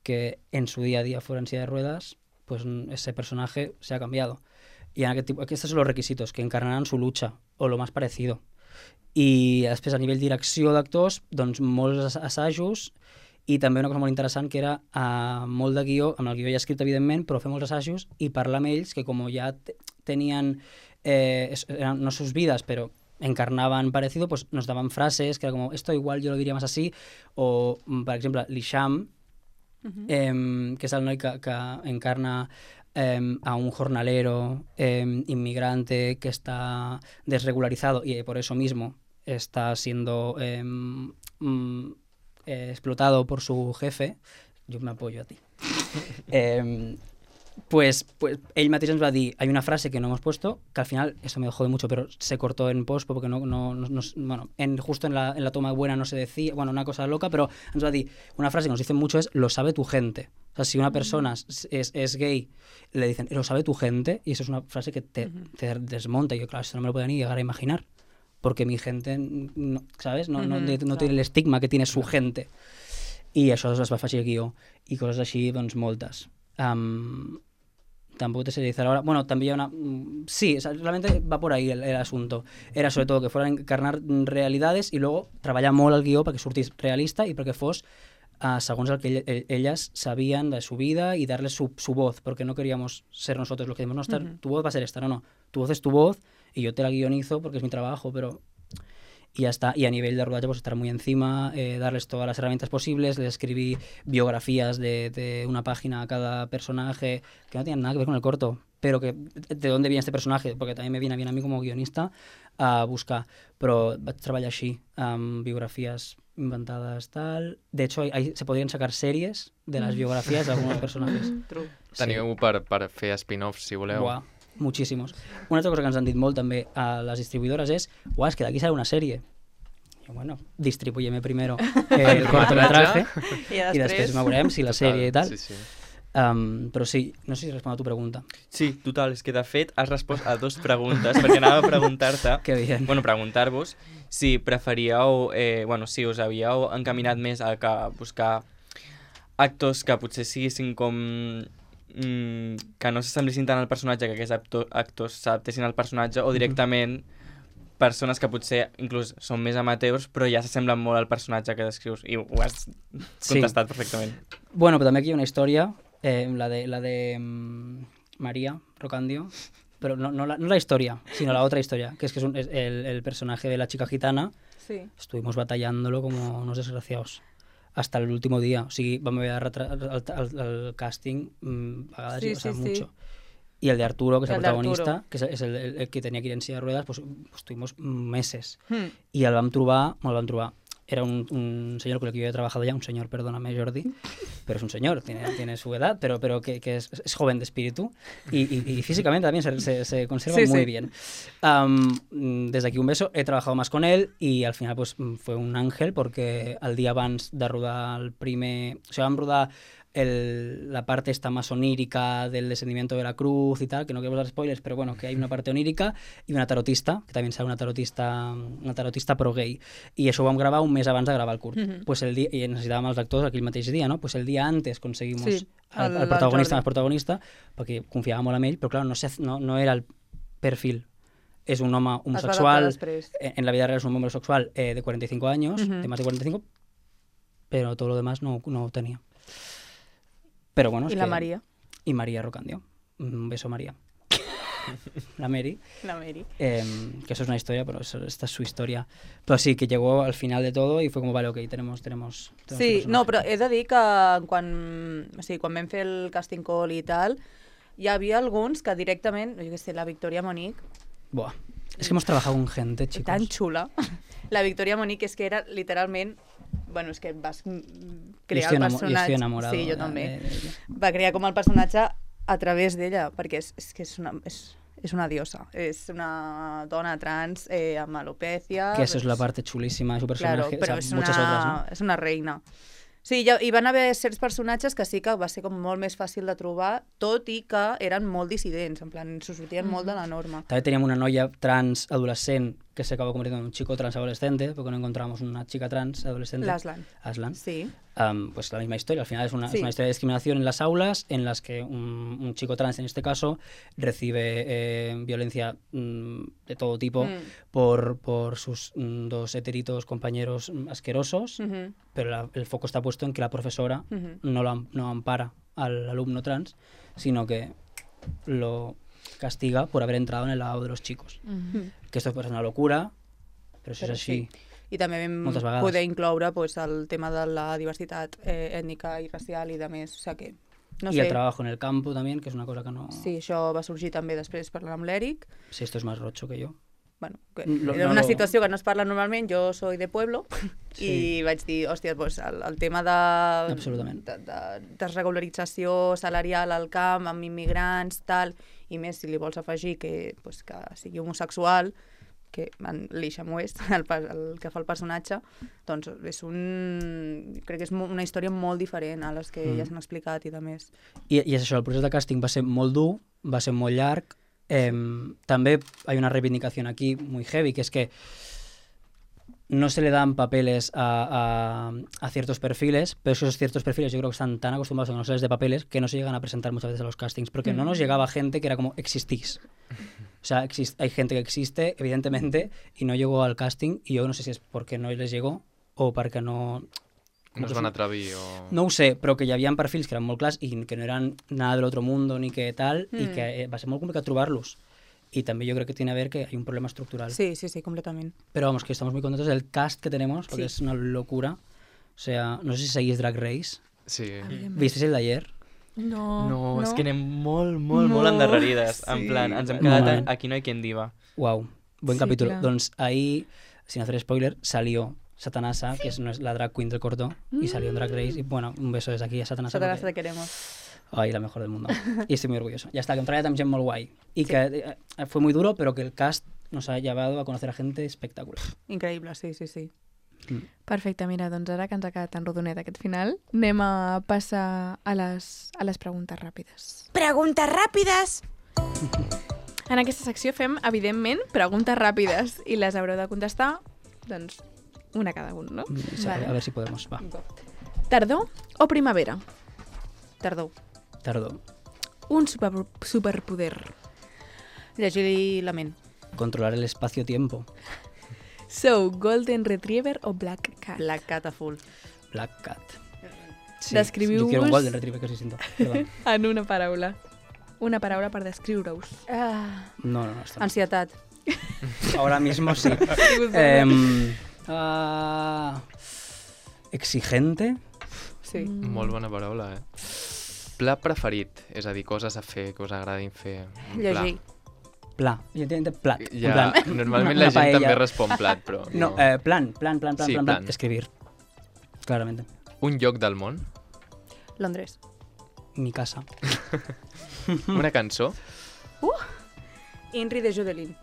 que en su día a día fuera en silla de ruedas, pues mm, ese personaje se ha cambiado. Y en aquest tipus, aquests són els requisitos, que encarnaran su lucha, o lo más parecido. I després, a nivell direcció d'actors, doncs molts ass- assajos, i també una cosa molt interessant que era uh, molt de guió, amb el guió ja escrit evidentment, però fer molts assajos i parlar amb ells que com ja te- tenien, eh, es- eran, no sus vidas, pero encarnaban parecido, pues nos daban frases que era como, esto igual yo lo diría más así, o, mm, per exemple, l'Isham, eh, que és el noi que, que encarna eh, a un jornalero eh, inmigrante que está desregularizado y por eso mismo está siendo eh, mm, eh, explotado por su jefe. Yo me apoyo a ti. eh, pues, pues ell mateix ens va dir, hay una frase que no hemos puesto, que al final, eso me jode mucho, pero se cortó en post porque no, no, no, no- bueno, en, justo en la, en la toma buena no se decía, bueno, una cosa loca, pero ens va dir, una frase que nos dicen mucho es, lo sabe tu gente. O sea, si una persona es, es, es gay, le dicen, lo sabe tu gente, y eso es una frase que te, te desmonta, y yo, claro, esto no me lo podía ni llegar a imaginar, porque mi gente, no, ¿sabes? No, no, Ujú, no claro. tiene el estigma que tiene su gente. I això es va afegir al guió, i coses així, doncs, moltes. Um, tampoco te sé decir ahora. Bueno, también una... mm, Sí, o sea, realmente va por ahí el, el asunto. Era sobre todo que fueran a encarnar mm, realidades i luego treballar molt el guió perquè sortís realista i perquè fos uh, segons el que ell, ell- elles sabien de su vida y darles su, su voz, porque no queríamos ser nosotros los que decimos, no, esta- Ujú. tu voz va a ser esta, no, no, tu voz es tu voz y yo te la guionizo porque es mi trabajo, pero... Y ya está. Y a nivel de rodaje, pues estar muy encima, eh, darles todas las herramientas posibles. Les escribí biografías de, de una página a cada personaje que no tenían nada que ver con el corto, pero que de dónde viene este personaje, porque también me viene bien a mí como guionista a buscar. Però vaig treballar així, amb biografías inventadas, tal. De hecho, hay, hay- se podrían sacar series de las biografías de algunos personajes. True. Teniu per, per fer spin-offs, si voleu. Buah, muchísimos. Una altra cosa que ens han dit molt també a les distribuïdores és, uah, és que d'aquí sale una sèrie. I bueno, distribúyeme primero el cortometraje I i després veurem si la sèrie i tal. Sí, sí. Um, però sí, no sé si respondo a tu pregunta. Sí, total, és que de fet has respost a dues preguntes, perquè anava a preguntar-te, Que bien. bueno, preguntar-vos si preferíeu, eh, bueno, si us havíeu encaminat més a que buscar actors que potser siguessin com... Mm, que no s'assemblessin tant al personatge, que aquests acto- actors s'adaptessin al personatge, o directament persones que potser inclús són més amateurs, però ja s'assemblen molt al personatge que descrius, i ho has Sí. contestat perfectament. Bueno, pero también aquí hay una historia, eh, la de, la de mm, María Rocandio, pero no, no, la, no la historia, sino la otra historia, que es que es, un- es el, el personaje de la chica gitana. Sí. Estuvimos batallándolo como unos desgraciados hasta el último dia. O sigui, vam haver de retrasar el, el, el càsting mm, a vegades, Sí, o sea, sí, sí. mucho. Y el de Arturo, que es el, El de Arturo. protagonista, que es, el, es el, el, el que tenia que ir en silla de ruedas, pues, pues tuvimos meses. Hmm. Y el vam trobar, bueno, el vam trobar, era un, un señor con el que yo había trabajado ya, un señor, perdóname Jordi, pero es un señor, tiene, tiene su edad, pero, pero que, que es, es joven de espíritu y, y, y físicamente también se, se, se conserva Sí, muy sí. bien. Um, desde aquí un beso, he trabajado más con él y al final pues fue un ángel porque al día abans de rodar el primer... O sigui, vam rodar el, la parte esta más onírica del descendimiento de la cruz y tal, que no quiero dar spoilers, pero bueno, que hay una parte onírica y una tarotista, que también sale una tarotista, una tarotista pro gay. I això ho vam gravar un mes abans de gravar el curt. Mhm. Pues el dia, i necessitàvem els actors aquell mateix dia, no? Pues el dia antes conseguimos Sí, al, el- al protagonista el más protagonista, perquè confiava molt en ell, però clar, no, sé, no, no era el perfil. És un home Es va adaptar homosexual, després. en en la vida real es un hombre sexual eh, de cuarenta y cinco años, Ujú. de más de cuarenta y cinco, pero todo lo demás no, no tenía. Pero bueno, es I la que- Maria, Y María Rocandio. Un beso, María. La Mary. la Mary. eh, que eso es una historia, pero eso- esta es su historia. Pero sí, que llegó al final de todo y fue como, vale, ok, tenemos... tenemos, tenemos Sí, este no, personaje. però he de dir que quan, o sigui, quan vam fer el casting call i tal, hi havia alguns que directament, jo què sé, la Victoria Monique, Buah. Es que hemos trabajado con gente, chicos. tan xula. La Victoria Monique és que era literalment... Bueno, és que vas mm, Y crear estoy, el enamo- y personatge... estoy enamorado. Sí, jo de- també. de- de- Va crear com el personatge a través d'ella, perquè és, és que és una, és, és una diosa. És una dona trans eh, amb alopècia... Que eso es la parte chulísima de su personaje. Claro, però o sea, és, muchas una, otras, ¿no? és una reina. Sí, hi, ha- hi van haver certs personatges que sí que va ser com molt més fàcil de trobar, tot i que eren molt dissidents, en plan, s'ho sortien mm. molt de la norma. También teníamos una noia trans adolescente que se acabó convirtiendo en un chico trans adolescente, porque no encontramos una chica trans adolescente. L'Aslan. Aslan. Sí. Um, pues la misma historia. Al final es una, Sí. es una historia de discriminación en las aulas en las que un, un chico trans, en este caso, recibe eh, violencia mm, de todo tipo Mm. por, por sus mm, dos heteritos compañeros mm, asquerosos, Mhm, pero la- el foco está puesto en que la profesora mhm. no, lo, am- no ampara al alumno trans, sino que lo castiga por haber entrado en el lado de los chicos. Mhm. Que esto es una locura, pero si Però es así... sí. I també vam Moltes vegades. poder incloure pues, el tema de la diversitat eh, ètnica i racial i de més. O sigui que, no y sé, el trabajo en el campo también, que es una cosa que no... sí, això va sorgir també després parlant amb l'Eric. Si esto es más rocho que yo. Bueno, que Lo- era no una lo- situació que no es parla normalment, jo soy de pueblo, Sí. i vaig dir, hòstia, pues, el, el tema de, Absolutament. de, de desregularització salarial al camp, amb immigrants, tal, i més si li vols afegir que, pues, que sigui homosexual, que en l'Isham West, el, pa- el que fa el personatge, doncs és un... crec que és mo- una història molt diferent a les que Mm. ja s'han explicat i de més. I, I és això, el procés de càsting va ser molt dur, va ser molt llarg. Eh, també hay una reivindicación aquí muy heavy, que es que no se le dan papeles a, a, a ciertos perfiles, pero esos ciertos perfiles yo creo que están tan acostumbrados a que no se les dé papeles que no se llegan a presentar muchas veces a los castings, porque no nos llegaba gente que era como, existís. O sea, exist- hay gente que existe, evidentemente, y no llegó al casting, y yo no sé si es porque no les llegó o perquè no... No es van atrevir o... No ho sé, però que hi havia perfils que eren molt clars i que no eren nada del otro mundo ni que tal, i Mm. que eh, va ser molt complicat trobar-los. Y también yo creo que tiene a ver que hay un problema estructural. Sí, sí, sí, completament. Pero vamos, que estamos muy contentos del cast que tenemos, porque Sí. es una locura. O sea, no sé si seguís Drag Race. Sí. ¿Visteis el de ayer? No, No, és que anem molt, molt, molt No. endarrerides. Sí, En plan, ens hem bueno. quedat... Malament. Aquí no hay quien diva. Wow, buen Sí, capítulo. claro. Doncs ahí, sin hacer spoiler, salió Satanasa, que es no es la drag queen del corto, y salió en Drag Race. Y bueno, un beso desde aquí a Satanasa. Satanás porque- te queremos. Ay, la mejor del mundo. Y estoy muy orgulloso. Ya está, que entré también muy guay. Y que eh, fue muy duro, pero que el cast nos ha llevado a conocer a gente espectacular. Increïble, sí, sí, sí. Perfecte, mira, doncs ara que ens ha quedat tan rodonet aquest final, anem a passar a les, a les preguntes ràpides. Preguntes ràpides. En aquesta secció fem, evidentment, preguntes ràpides i les haureu de contestar, doncs, una cada un, no? Mm, sí, A ver si podemos. Va. Tardor o primavera? Tardor. Tardó. Un super, superpoder. Llegir la ment. Controlar el espacio-tiempo. Sou Golden Retriever o Black Cat? Black Cat a full. Black Cat. Sí, Descriviu-vos- Yo quiero un Golden Retriever, que es distinto. Perdón. En una paraula. Una paraula per descriure-us. Ah, No, no, no. Esto no. ansietat. Ahora mismo sí. Em, ah, exigente. Sí. Mm. Molt bona paraula, eh? Pla preferit, és a dir, coses a fer que us agradin fer. Un pla. Llegir. Pla. Yo entiendo plat. en Ja, plan, normalment una la gent paella. també respon plat, però No, eh, plan, plan, plan, plan, Sí, plan, plan. plan. Escribir. Claramente. Un lloc del món, Londres. Mi casa. una cançó, Inri de Jodelin.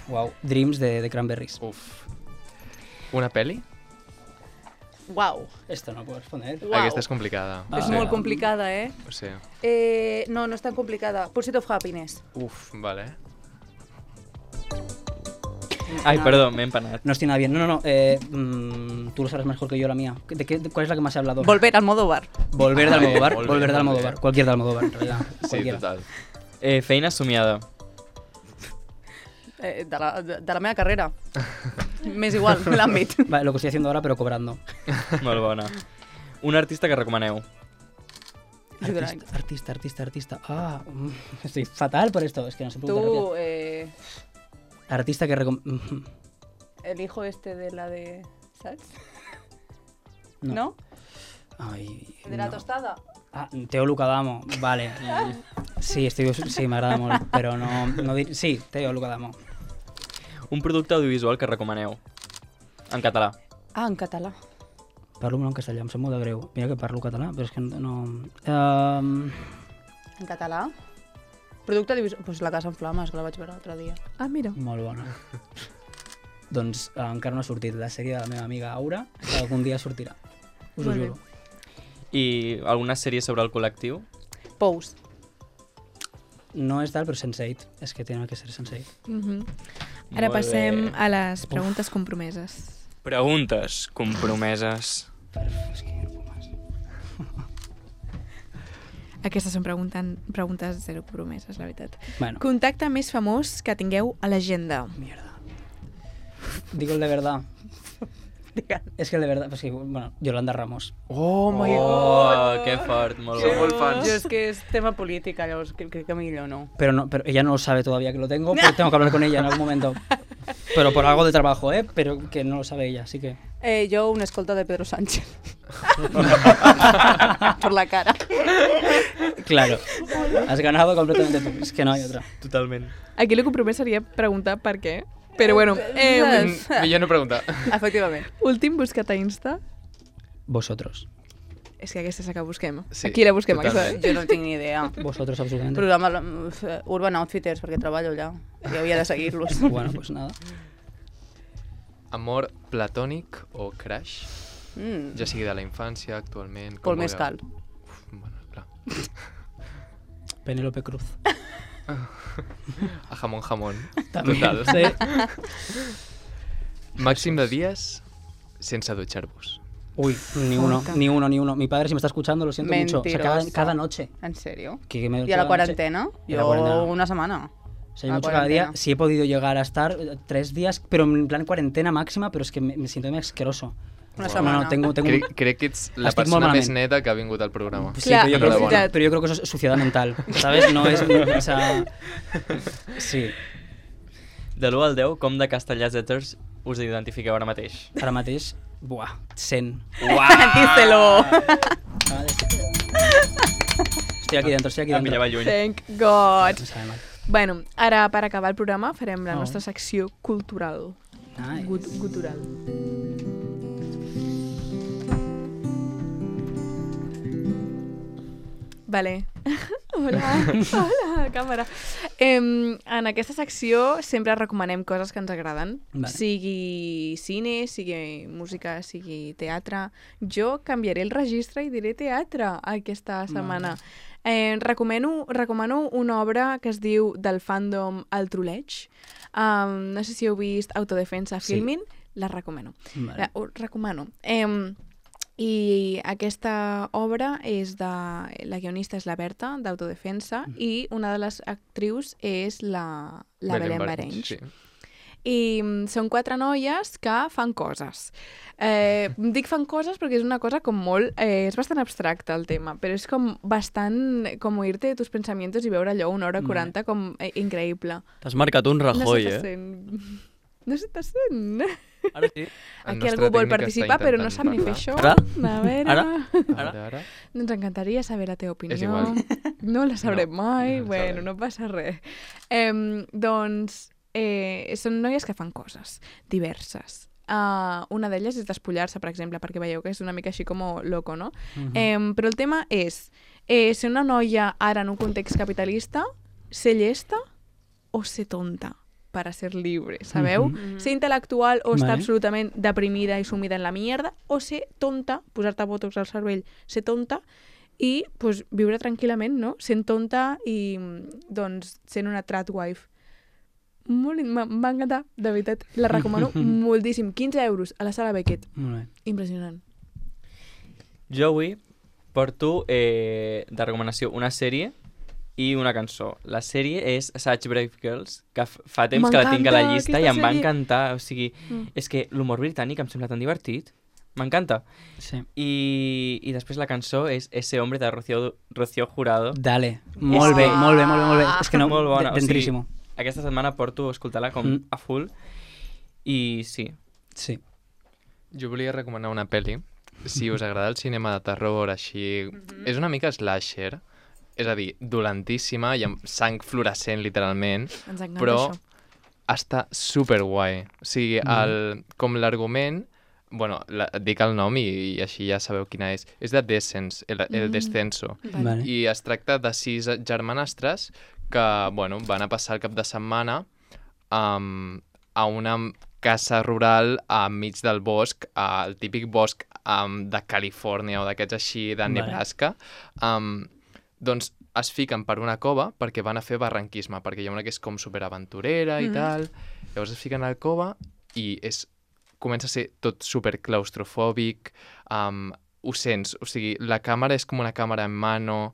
Wow. Dreams de, de Cranberries. uf. Una pel·li, Uau. Esto no puedo responder. Uau. Aquesta és complicada. És Ah. molt complicada, eh? O sigui, eh? No, no és tan complicada. Pursuit of Happiness. uf, vale. Ay, perdón, me he empanado. No estoy nada bien. No, no, no. Eh, mm, tú lo sabes mejor que yo la mía. ¿De qué, de ¿Cuál es la que más he hablado? Volver al Almodóvar. Volver de Almodóvar. Volver, Volver de volver. Almodóvar. Cualquier de Almodóvar, en realidad. Sí, Cualquiera. total. Eh, feina somiada. Eh, de, la, de, de la meva carrera. M'és igual, l'àmbit. Vale, lo que estoy haciendo ahora, pero cobrando. Molt bona. Un artista que recomaneu. Artista, artista, artista, artista. Ah, mm, estoy fatal por esto. Es que no sé preguntar Tu, rápido. eh, Artista que recom... el hijo este de la de... Saps? No. No? Ay, De la no. tostada? Ah, Teo Lucadamo, vale. Sí, estic, sí, m'agrada molt, però no, no dir... Sí, Teo Lucadamo. Un producte audiovisual que recomaneu. En català. Ah, en català. Parlo molt en castellà, em sap molt de greu. Mira que parlo català, però és que no... Um... En català? Producte audiovisual... Pues La casa en flames, que la vaig veure l'altre dia. Ah, mira. Molt bona. Doncs eh, encara no ha sortit la sèrie de la meva amiga Aura, que algun dia sortirà. Us ho Molt bé. juro. I alguna sèrie sobre el col·lectiu? Pous. No és tal, però sense eight. És que tiene que ser sense eight. Mhm. Ara Molt passem bé. a les preguntes compromeses. Preguntes compromeses. És que no puc més. Aquestes són preguntant, preguntes zero compromeses, la veritat. Bueno, Contacte més famós que tingueu a l'agenda. mierda. Digo el de verdad. És que el de verdad, pues que, bueno, Yolanda Ramos. Oh my Oh, que fort, molt Som bo. molt fans. Jo és que és tema política, llavors crec que millor no. Pero no, pero ella no sabe todavía que lo tengo, pero tengo que hablar con ella en algún momento. Pero por algo de trabajo, ¿eh? Pero que no lo sabe ella, así que... Eh, jo una escolta de Pedro Sánchez. Por la cara. Claro, has ganado completamente tú, es que no hay otra. Totalment. Aquí el compromès seria preguntar per què. Però bueno, eh, Mm, millor no preguntar. Efectivament. últim buscat a Insta. Vosotros. És que aquesta és la que busquem. Sí, Aquí la busquem, totalment. aquesta. Jo no tinc ni idea. Vosotros absolutamente. Programa uh, Urban Outfitters, perquè treballo allà. I havia de seguir-los. Bueno, pues nada. Amor platònic o crush? Mm. Ja sigui de la infància, actualment... com Pol vulgueu. Mescal. Uf, bueno, clar. Penélope Cruz. A jamón jamón. También, Total. sí. Màxim de dies sense dutxar-vos. Uy, ni uno, Puta. ni uno, ni uno. Mi padre, si me está escuchando, lo siento mucho. O sea, cada, Mentiroso. cada noche. En sèrio? Que me I a la cada quarantena? noche- Y a la Jo cuarentena. una setmana. O sea, yo a la mucho cada día. cuarentena. Sí he podido llegar a estar eh, tres días, pero en plan cuarentena máxima, pero es que me, me siento muy asqueroso. Una No, setmana. no, tengo, tengo un- Crec, crec que ets la Estic persona molt més malament. neta que ha vingut al programa. Sí, Clar, pero, yo és creo, veritat. pero yo creo que eso es suciedad mental, ¿sabes? No es... no, o sea, sí, De l'u al deu, com de castellàseters us identifiqueu ara mateix? ara mateix, buah, cent. Díselo. Estoy aquí dentro, estoy aquí Em dentro. pillava lluny. Thank God. Me sabe mal. Bueno, ara per acabar el programa farem la Oh. nostra secció cultural. Nice. Gut gutural. Vale. Hola, hola, càmera. Em, en aquesta secció sempre recomanem coses que ens agraden. Vale. Sigui cine, sigui música, sigui teatre. Jo canviaré el registre i diré teatre aquesta setmana. Eh, recomano, recomano una obra que es diu Del fandom al troleig. Um, no sé si heu vist Autodefensa Sí. Filmin. La recomano. Vale. La, ho recomano. Eh, I aquesta obra és de... La guionista és la Berta, d'Autodefensa, Mm. i una de les actrius és la, la Belén Barenys. Sí. I mm, són quatre noies que fan coses. Eh, dic fan coses perquè és una cosa com molt... Eh, és bastant abstracte el tema, però és com bastant com oir-te de tus pensamientos i veure allò una hora Vale. quaranta com eh, increïble. T'has marcat un Rajoy, no eh? s'està sent. No s'està sent. Ara sí. El Aquí nostre algú vol tècnic està participar, però no intentant sap ni fer parlar. això. Ara? A veure... Ara? A veure, ara. Ens encantaria saber la teva opinió. És igual. No la sabrem No, mai. no la bueno, sabrem. no passa res. Eh, doncs, eh, són noies que fan coses diverses. Uh, una d'elles és despullar-se, per exemple, perquè veieu que és una mica així com loco, no? Mhm. Eh, però el tema és eh, ser una noia ara en un context capitalista, ser llesta o ser tonta? para ser libre, sabeu? Mhm. Ser intel·lectual o estar Vale. absolutament deprimida i sumida en la mierda, o ser tonta, posar-te botox al cervell, ser tonta, i pues, viure tranquil·lament, no? Sent tonta i doncs, sent una tradwife. Molt, m'ha m'ha encantat, de veritat. La recomano moltíssim. quinze euros a la sala Beckett. Molt bé. Impressionant. Jo avui porto eh, de recomanació una sèrie i una cançó. La sèrie és Such Brave Girls, que f- fa temps que la tinc a la M'encanta llista i aquesta em va sèrie. encantar. O sigui, Mm. és que l'humor britànic em sembla tan divertit. M'encanta. Sí. I, I després la cançó és Ese hombre de Rocío, Rocío Jurado. Dale. Molt bé, que- molt bé, molt bé, molt bé. És que no, Molt bona, o sigui, dentríssimo. Aquesta setmana porto a escoltar-la com Mm. a full. I sí. Sí. Jo volia recomanar una pel·li. Si us agrada el cinema de terror, així... És una mica slasher, és a dir, dolentíssima i amb sang fluorescent, literalment, Ens encanta però això. està superguai. O sigui, el, com l'argument... Bueno, la, et dic el nom i, i així ja sabeu quina és. És de Descens, el, el Mm. Descenso. Vale. I es tracta de sis germanastres que, bueno, van a passar el cap de setmana um, a una casa rural enmig del bosc, al típic bosc um, de Califòrnia o d'aquests així de Vale. Nebraska. Um, doncs es fiquen per una cova perquè van a fer barranquisme, perquè hi ha una que és com superaventurera i Mhm. tal. Llavors es fiquen a la cova i és, comença a ser tot super claustrofòbic, um, ho sents, o sigui, la càmera és com una càmera en mano,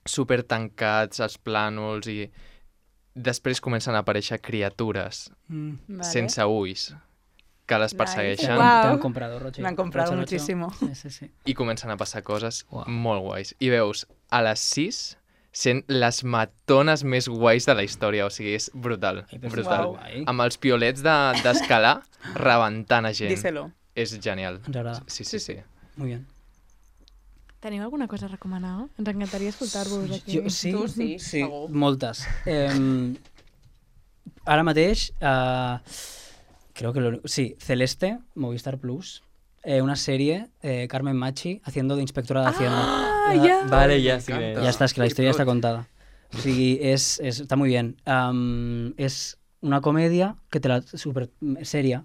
super tancats els plànols i després comencen a aparèixer criatures Mm. Vale. sense ulls que les Nice. persegueixen Guau. Te han comprado, Roche. Me han comprado Roche, Roche. muchísimo. Sí, sí, sí. i comencen a passar coses Uau. molt guais. I veus, a les sis sent les matones més guais de la història, o sigui, és brutal, Ai, però és brutal. guai. Amb els piolets de- d'escalar de, rebentant a gent. Díselo. És genial. Ens agrada. Sí, sí, sí. Muy bien. Teniu alguna cosa a recomanar? Ens encantaria escoltar-vos aquí. Jo, sí, Tu sí, sí, segur. moltes. Eh, ara mateix, eh, creo que lo, sí, Celeste, Movistar Plus, eh, una serie, eh, Carmen Machi, haciendo de inspectora de Hacienda. Ah, Eh, ja! Vale, ja sí m'encanta. que... Ya está, es que la historia está contada. Sí, es, es- está muy bien. Am, es una comedia que te la super seria,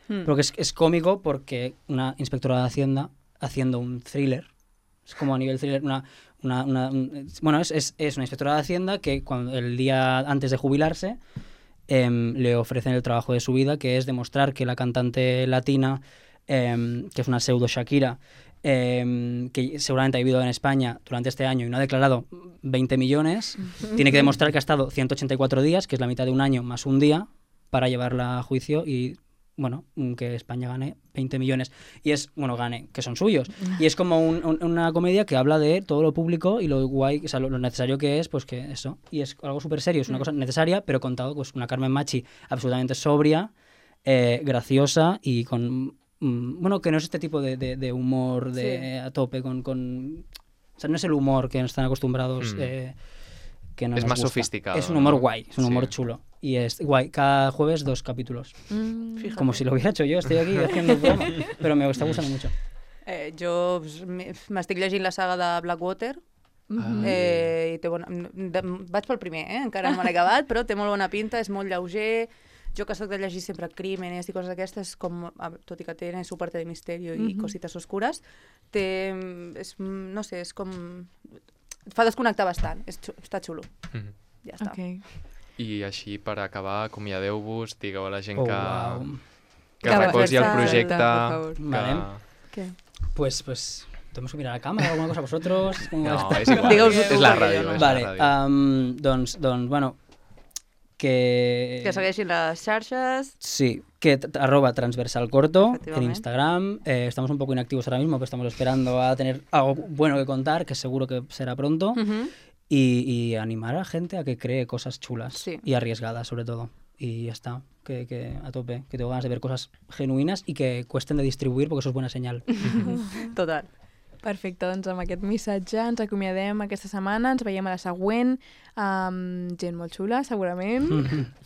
Mm. pero que es, es cómico porque una inspectora de Hacienda haciendo un thriller, es como a nivel thriller, una, una, una- un- bueno, es, es, es una inspectora de Hacienda que cuando el día antes de jubilarse em, le ofrecen el trabajo de su vida, que es demostrar que la cantante latina, em, que es una pseudo Shakira, em, que seguramente ha vivido en España durante este año y no ha declarado veinte millones, tiene que demostrar que ha estado ciento ochenta y cuatro días, que es la mitad de un año más un día, para llevarla a juicio y, bueno, que España gane veinte millones. Y es, bueno, gane, que son suyos. Y es como un- un- una comedia que habla de todo lo público y lo guay, o sea, lo, lo necesario que es, pues que eso. Y es algo súper serio, es una cosa necesaria, pero contado, pues una Carmen Machi absolutamente sobria, eh, graciosa y con... mm, bueno, que no es este tipo de, de- de humor de, a tope, con, con... O sea, no es el humor que están acostumbrados... Mm. eh, que no Es nos más gusta. sofisticado, Es un humor ¿no? guay, es un humor Sí. chulo. Y es guay. Cada jueves dos capítulos. Mm. Fíjate. Como si lo hubiera hecho yo, estoy aquí haciendo el programa. Pero me está gustando mucho. Eh, jo pues, m'he- m'estic llegint la saga de Blackwater, Mhm. eh, i té bona... de, vaig pel primer, eh? encara no me l'he acabat, però té molt bona pinta, és molt lleuger. Jo que soc de llegir sempre crímenes i coses d'aquestes, com, a- tot i que té su parte de misteri i Mhm. cosites oscures, té, és, no sé, és com... Et fa desconnectar bastant, és, xu- està xulo, Mhm. ja està. Ok. I així, per acabar, acomiadeu-vos, digueu a la gent Oh, que, wow. que Que recolzi el Versa- projecte, por favor. que... Vale. Què? Pues, pues, ¿tenemos que mirar a la cámara o alguna cosa vosotros? ¿Cómo No, está? és igual, Digueu-ho és tu, la perquè ràdio, jo no. és Vale, la ràdio. um, doncs, doncs, bueno, que... Que segueixin les xarxes. Sí, que t- arroba transversal corto en Efectivamente. Instagram. Eh, estamos un poco inactivos ahora mismo, pero estamos esperando a tener algo bueno que contar, que seguro que será pronto. Mhm. Y, y animar a la gente a que cree cosas chulas Sí. y arriesgadas, sobre todo. Y ya está, que, que a tope, que tengo ganas de ver cosas genuïnes y que cuesten de distribuir, porque eso es buena señal. Total. Perfecte, doncs amb aquest missatge ens acomiadem aquesta setmana, ens veiem a la següent, amb gent molt xula, segurament,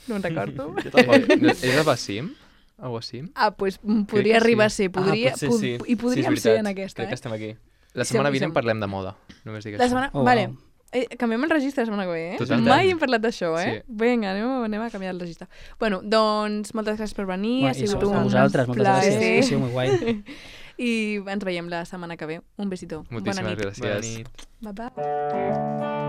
no en recordo. Eh, no- és a Bassim? A Wassim? Ah, doncs Crec podria que arribar a sí. ser, podria, ah, potser pod- sí. i sí, és podríem veritat. ser en aquesta, Crec que eh? estem aquí. La setmana Som- vinent som- parlem de moda. Només dic La això. setmana... Oh, vale, wow. Eh, canviem el registre la setmana que ve, eh? Totalment. Mai hem parlat d'això, eh? Sí. Vinga, anem, a- anem a canviar el registre. Bueno, doncs, moltes gràcies per venir. Bueno, ha i sigut a un vosaltres, moltes plaer. gràcies. Ha sigut molt guai. I ens veiem la setmana que ve. Un besito. Bona Moltíssimes nit. gràcies. Bona nit. Bye bye.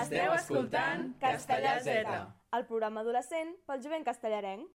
Esteu escoltant Castellà Z, el programa adolescent pel jovent castellarenc.